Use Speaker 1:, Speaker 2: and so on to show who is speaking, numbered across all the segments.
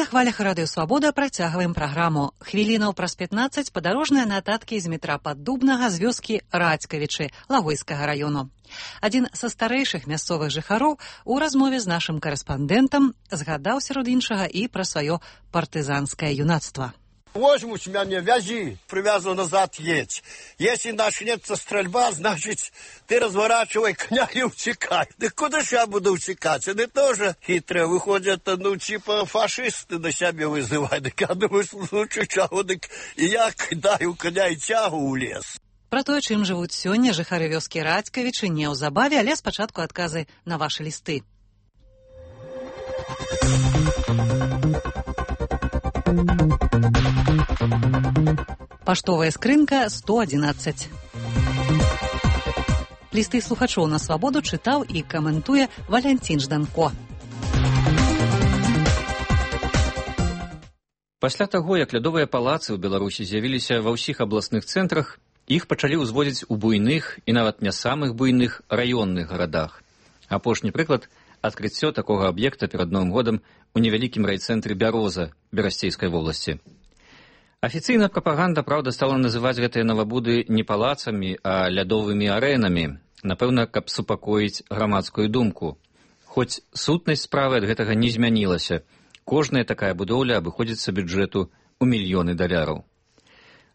Speaker 1: хвалях Радыё Свабода працягваем праграму. Хвілінаў праз 15 падарожныя нататкі з метра Паддубнага з вёскі Радзькавічы Лагойскага раёну. Адзін са старэйшых мясцовых жыхароў у размове з нашым карэспандэнтам згадаў сярод іншага і пра сваё партызанскае юнацтва.
Speaker 2: Возьмут меня, вязи, привязывай назад, едь. Если начнется стрельба, значит, ты разворачивай коня и утекай. Да куда же я буду утекать? Они тоже хитрые, выходят, типа фашисты на себя вызывают. Так я думаю, в случае чего, так и я кидаю коня и тягу у лес.
Speaker 1: Пра тое, чым жывуць сёння жыхары вёскі Радзькавічы, неўзабаве, але спачатку адказы на вашы лісты. Паштовая скрынка 111. Лісты слухачоў на свабоду чытаў і каментуе Валянцін Жданко.
Speaker 3: Пасля таго, як лядовыя палацы ў Беларусі з'явіліся ва ўсіх абласных цэнтрах, іх пачалі ўзводзіць у буйных і нават не самых буйных раённых гарадах. Апошні прыклад – адкрыццё такога аб'екта перад Новым годам у невялікім райцэнтры Бяроза Берасцейскай вобласці. Афіцыйна прапаганда, праўда, стала называць гэтыя навабуды не палацамі, а лядовымі арэнамі, напэўна, каб супакоіць грамадскую думку. Хоць сутнасць справы ад гэтага не змянілася. Кожная такая будоўля абыходзіцца бюджэту ў мільёны даляраў.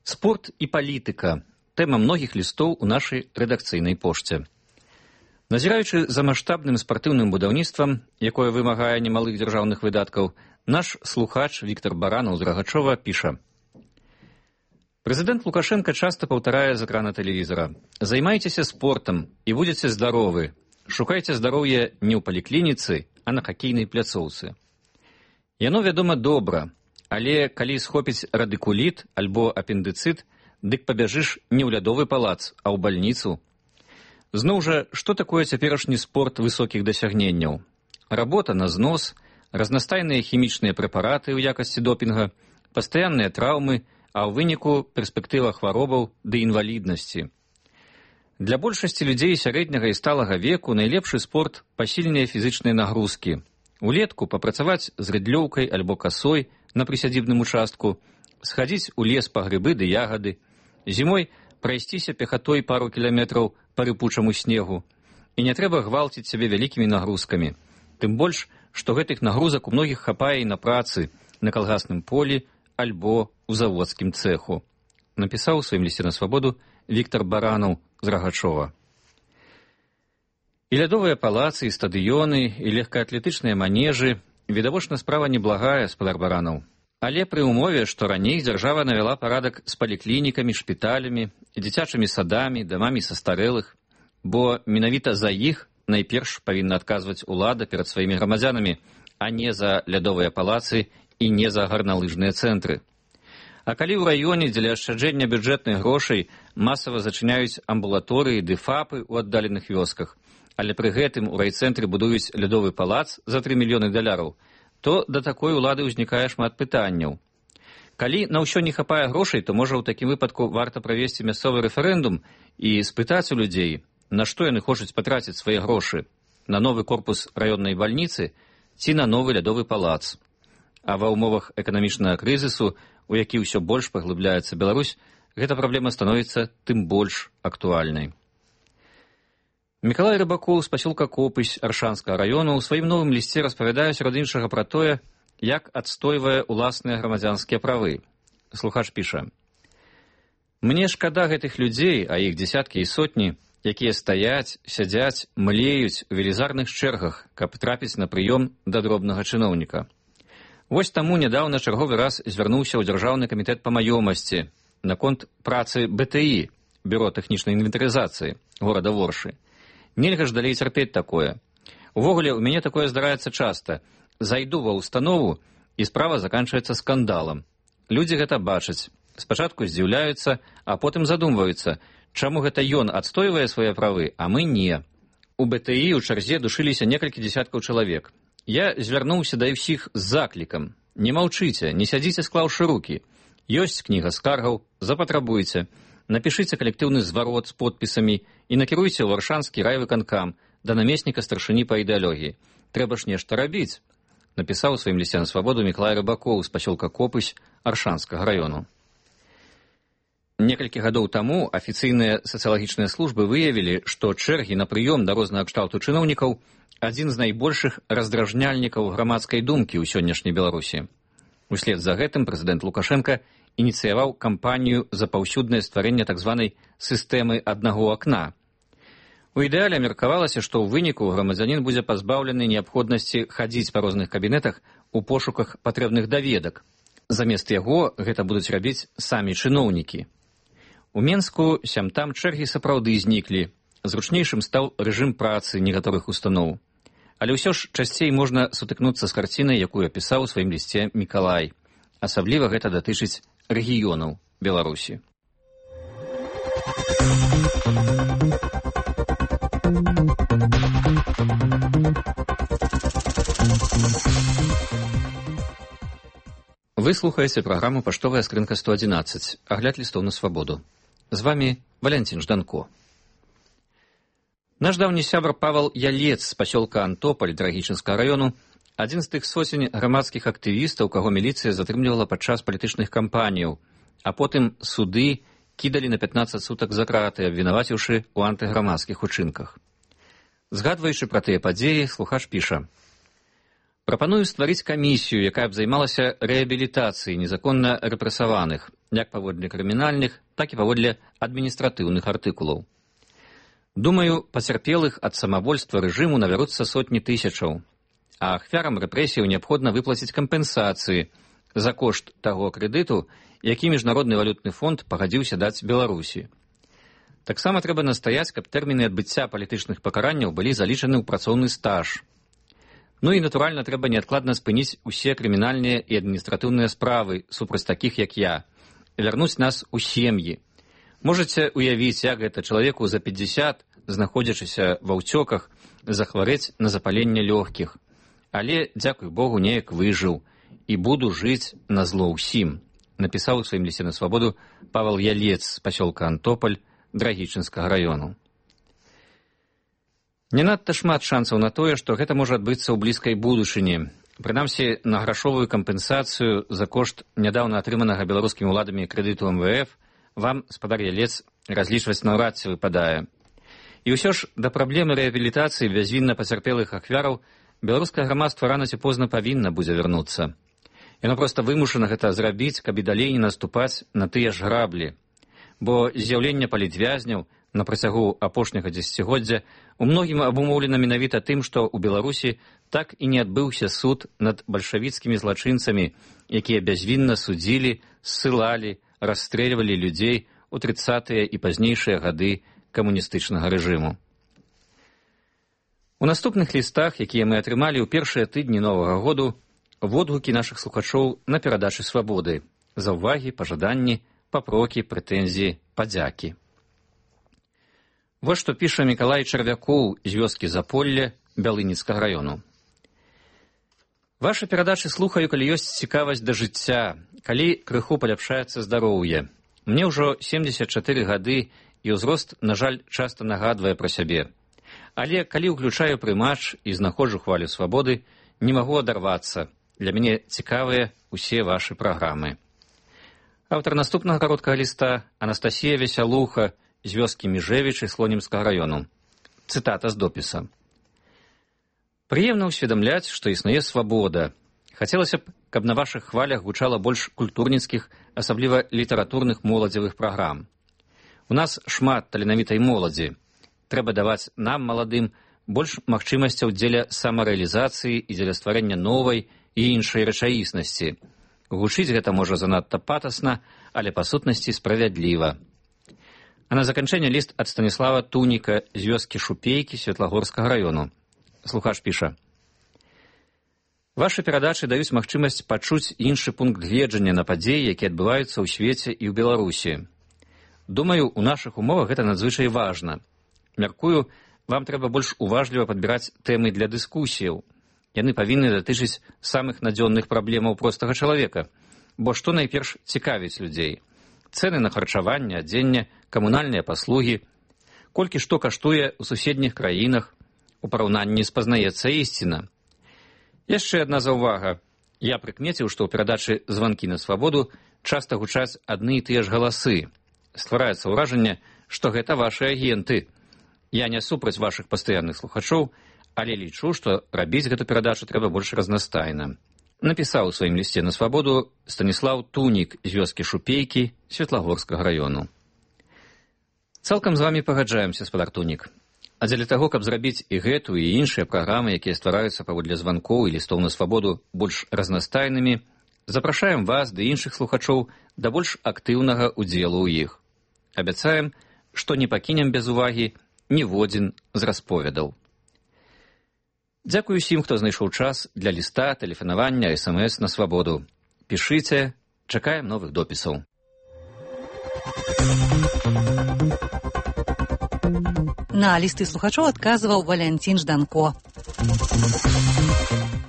Speaker 3: Спорт і палітыка – тэма многіх лістоў у нашай рэдакцыйнай пошце. Назіраючы за маштабным спартыўным будаўніцтвам, якое вымагае немалых дзяржаўных выдаткаў, наш слухач Віктор Баранаў з Рагачова піша: Прэзідэнт Лукашенко часто паўтарае з экрана тэлевізара: «Займайцеся спортам і будзеце здаровы. Шукайце здароўе не ў паліклініцы, а на хакейнай пляцоўцы». Яно, вядома, добра, але калі схопіць радыкуліт альбо апендыцыт, дык пабяжыш не ў лядовы палац, а ў бальніцу. Зноў жа, што такое цяперашні спорт высокіх дасягненняў? Работа на знос, разнастайныя хімічныя прэпараты ў якасці допінга, пастаянныя траўмы, а ў выніку перспектыва хваробаў ды інваліднасці. Для большасці людзей сярэдняга і сталага веку найлепшы спорт – пасільныя фізычныя нагрузкі. Улетку папрацаваць з рыдлёўкай альбо касой на прысядзібным участку, схадзіць у лес па грыбы ды ягады, зімой прайсціся пехатой пару кіламетраў па рыпучаму снегу. І не трэба гвалціць сябе вялікімі нагрузкамі. Тым больш, што гэтых нагрузак у многіх хапае і на працы, на калгасным полі альбо ў заводскім цэху. Напісаў у сваім лісце на свабоду Віктор Баранаў з Рагачова. І лядовыя палацы, і стадыёны, і легкаатлетычныя манежы – відавочна справа неблагая, спадар Баранаў. Але пры ўмове, што раней дзяржава навяла парадак з паліклінікамі, шпіталямі, дзіцячымі садамі, дамамі састарэлых, бо менавіта за іх найперш павінна адказваць улада перад сваімі грамадзянамі, а не за лядовыя палацы і не за гарналыжныя цэнтры. А калі ў раёне дзеля ашчаджэння бюджэтных грошай масава зачыняюць амбулаторыі ды фапы ў аддаленых вёсках, але пры гэтым у райцэнтры будуюць лядовы палац за 3 мільёны даляраў, то да такой улады ўзнікае шмат пытанняў. Калі на ўсё не хапае грошай, то, можа, у такім выпадку варта правесці мясцовы рэферэндум і спытаць у людзей, на што яны хочуць патраціць свае грошы – на новы корпус раённай бальніцы ці на новы лядовы палац. А ва ўмовах эканамічнага крызісу, у які ўсё больш паглыбляецца Беларусь, гэта праблема становіцца тым больш актуальнай. Мікалай Рыбакоў з пасёлка Копысь Аршанскага раёну ў сваім новым лісце распавядае сярод іншага пра тое, як адстойвае ўласныя грамадзянскія правы. Слухач піша: «Мне шкада гэтых людзей, а іх дзесяткі і сотні, якія стаяць, сядзяць, млеюць у велізарных чэргах, каб трапіць на прыём да дробнага чыноўніка. Вось таму нядаўна чарговы раз звярнуўся ў Дзяржаўны камітэт па маёмасці наконт працы БТІ, Бюро тэхнічнай інвентарызацыі горада Воршы. Нельга ж далей цярпець такое. Увогуле, у мяне такое здараецца часта. Зайду ва ўстанову, і справа заканчваецца скандалам. Людзі гэта бачаць. Спачатку здзіўляюцца, а потым задумваюцца, чаму гэта ён адстойвае свае правы, а мы не. У БТІ ў чарзе душыліся некалькі дзесяткаў чалавек. Я звярнуўся да ўсіх з заклікам: не маўчыце, не сядзіце склаўшы рукі. Ёсць кніга скаргаў, запатрабуйце. Напішыце калектыўны зварот з подпісамі і накіруйце ў Варшанскі райвыканкам да намесніка старшыні па ідэалогіі. Трэба ж нешта рабіць. напісаў у сваім лісце на свабоду Мікалай Рыбакоў з пасёлка Копысь Аршанскага раёну. Некалькі гадоў таму афіцыйныя сацыялагічныя службы выявілі, што чэргі на прыём да рознага кшталту чыноўнікаў адзін з найбольшых раздражняльнікаў грамадскай думкі ў сённяшняй Беларусі. Услед за гэтым прэзідэнт Лукашенка ініцыяваў кампанію за паўсюднае стварэнне так званай сістэмы аднаго акна. У ідэале меркавалася, што ў выніку грамадзянін будзе пазбаўлены неабходнасці хадзіць па розных кабінетах у пошуках патрэбных даведак. Замест яго гэта будуць рабіць самі чыноўнікі. У Менску сям-там чэргі сапраўды зніклі. Зручнейшым стаў рэжым працы некаторых устаноў. Але ўсё ж часцей можна сутыкнуцца з карцінай, якую апісаў у сваім лісце Мікалай. Асабліва гэта датычыць рэгіёнаў Беларусі. Вы слухаеце праграму «Паштовая скрынка 111», агляд лістоў на свабоду. З вами Валянцін Жданко. Наш даўні сябр Павал Ялец з пасёлка Антополь Драгічынскага раёну адзін з тых сотень грамадскіх актывістаў, каго міліцыя затрымлівала падчас палітычных кампаніяў, а потым суды кідалі на 15 сутак за краты, абвінаваціўшы ў антыграмадскіх учынках. Згадваючы пра тыя падзеі, слухач піша: «Прапаную стварыць камісію, якая б займалася рэабілітацыяй незаконна рэпрэсаваных, як паводле крымінальных, так і паводле адміністратыўных артыкулаў. Думаю, пацярпелых ад самавольства рэжыму набяруцца сотні тысячаў, а ахвярам рэпрэсіяў неабходна выплаціць кампенсацыі за кошт таго крэдыту, які Міжнародны валютны фонд пагадзіўся даць Беларусі. Таксама трэба настаяць, каб тэрміны адбыцця палітычных пакаранняў былі залічаны ў працоўны стаж. Ну і, натуральна, трэба неадкладна спыніць усе крымінальныя і адміністратыўныя справы супраць такіх, як я, вярнуць нас у сем'і. Можаце уявіць, як гэта чалавеку за 50, знаходзячыся ва ўцёках, захварэць на запаленне лёгкіх. Але, дзякуй Богу, неяк выжыў і буду жыць на зло ўсім», напісаў у сваім лісце на свабоду Павал Ялец з пасёлка Антополь Драгічынскага раёну. Не надта шмат шансаў на тое, што гэта можа адбыцца ў блізкай будучыні. Прынамсі, на грашовую кампенсацыю за кошт нядаўна атрыманага беларускімі ўладамі крэдыту МВФ вам, спадар Ялец, разлічваць наўрад ці выпадае. І ўсё ж да праблемы рэабілітацыі бязвінна пацярпелых ахвяраў беларускае грамадства рана ці позна павінна будзе вярнуцца. Яно проста вымушана гэта зрабіць, каб і далей не наступаць на тыя ж граблі. Бо з'яўленне палітвязняў на працягу апошняга дзесяцігоддзя у многім абумоўлена менавіта тым, што ў Беларусі так і не адбыўся суд над бальшавіцкімі злачынцамі, якія бязвінна судзілі, ссылалі, расстрэльвалі людзей у 30-е і пазнейшыя гады камуністычнага рэжыму. У наступных лістах, якія мы атрымалі ў першыя тыдні Новага году, водгукі нашых слухачоў на перадачы свабоды, заўвагі, пажаданні, папрокі, прэтэнзіі, падзякі. Вось што піша Мікалай Чарвякоў з вёскі Заполле Бялыніцкага раёну. Вашы перадачы слухаю, калі ёсць цікавасць да жыцця, калі крыху паляпшаецца здароўе. Мне ўжо 74 гады, і ўзрост, на жаль, часта нагадвае пра сябе. Але калі ўключаю прымач і знаходжу хвалю свабоды, не магу адарвацца. Для мяне цікавыя усе вашы праграмы. Аўтар наступнага кароткага ліста Анастасія Весялуха з вёскі Межевічы Слонімскага раёну. Цытата з допіса. «Прыемна ўсведамляць, што існуе свабода. Хацелася б, каб на вашых хвалях гучала больш культурніцкіх, асабліва літаратурных моладзевых праграм. У нас шмат таленавітай моладзі. Трэба даваць нам, маладым, больш магчымасцяў дзеля самарэалізацыі і дзеля стварэння новай і іншай рэчаіснасці. Гучыць гэта можа занадта патасна, але па сутнасці справядліва». А на заканчэнне ліст ад Станіслава Туніка з вёскі Шупейкі Светлагорскага раёну. Слухач піша: «Вашы перадачы даюць магчымасць пачуць іншы пункт гледжання на падзеі, якія адбываюцца ў свеце і ў Беларусі. Думаю, у нашых умовах гэта надзвычай важна. Мяркую, вам трэба больш уважліва падбіраць тэмы для дыскусіяў. Яны павінны датычыць самых надзённых праблемаў простага чалавека. Бо што найперш цікавіць людзей? Цэны на харчаванне, адзенне, камунальныя паслугі, колькі што каштуе ў суседніх краінах, у параўнанні спазнаецца ісціна. Яшчэ адна заўвага. Я прыкмеціў, што ў перадачы «Званкі на свабоду» часта гучаць адны і тыя ж галасы. Ствараецца ўражанне, што гэта вашы агенты. Я не супраць вашых пастаянных слухачоў, але лічу, што рабіць гэту перадачу трэба больш разнастайна. Напісаў у сваім лісце на свабоду Станіслаў Тунік з вёскі Шупейкі Светлагорскага раёну. Цалкам з вамі пагаджаемся, спадар Тунік. А дзеля таго, каб зрабіць і гэту, і іншыя праграмы, якія ствараюцца паводле званкоў і лістоў на свабоду, больш разнастайнымі, запрашаем вас ды іншых слухачоў да больш актыўнага ўдзелу ў іх. Абяцаем, што не пакінем без увагі ніводзін з расповедаў. Дзякую усім, хто знайшоў час для ліста, тэлефанавання, СМС на свабоду. Пішыце, чакаем новых допісаў.
Speaker 1: На лісты слухачоў адказваў Валянцін Жданко.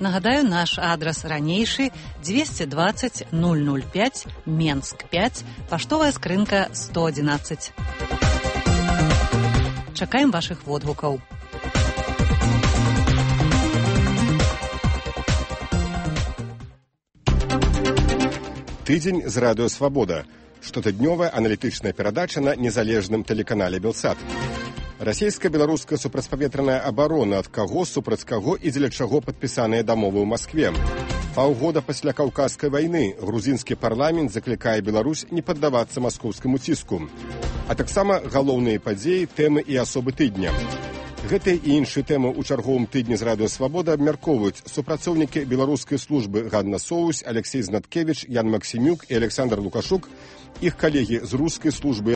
Speaker 1: Нагадаю, наш адрас ранейшы 220 005 Менск 5, паштовая скрынка 111. Чакаем вашых водгукаў.
Speaker 4: Тыдзень з радыё «Свабода». Штотыднёвая аналітычная перадача на незалежным тэлеканале «Белсат». Расійска-беларуская супрацьпаветраная абарона, ад каго, супраць каго і дзеля чаго падпісаныя дамовы ў Маскве. Паўгода пасля Каўказскай вайны грузінскі парламент заклікае Беларусь не паддавацца маскоўскаму ціску. А таксама галоўныя падзеі, тэмы і асобы тыдня. Гэтыя і іншыя тэмы ў чарговым тыдні з радыё «Свабода» абмяркоўваюць супрацоўнікі беларускай службы Ганна Соўсь, Алексей Знаткевіч, Ян Максімюк і Александр Лукашук, іх калегі з рускай службы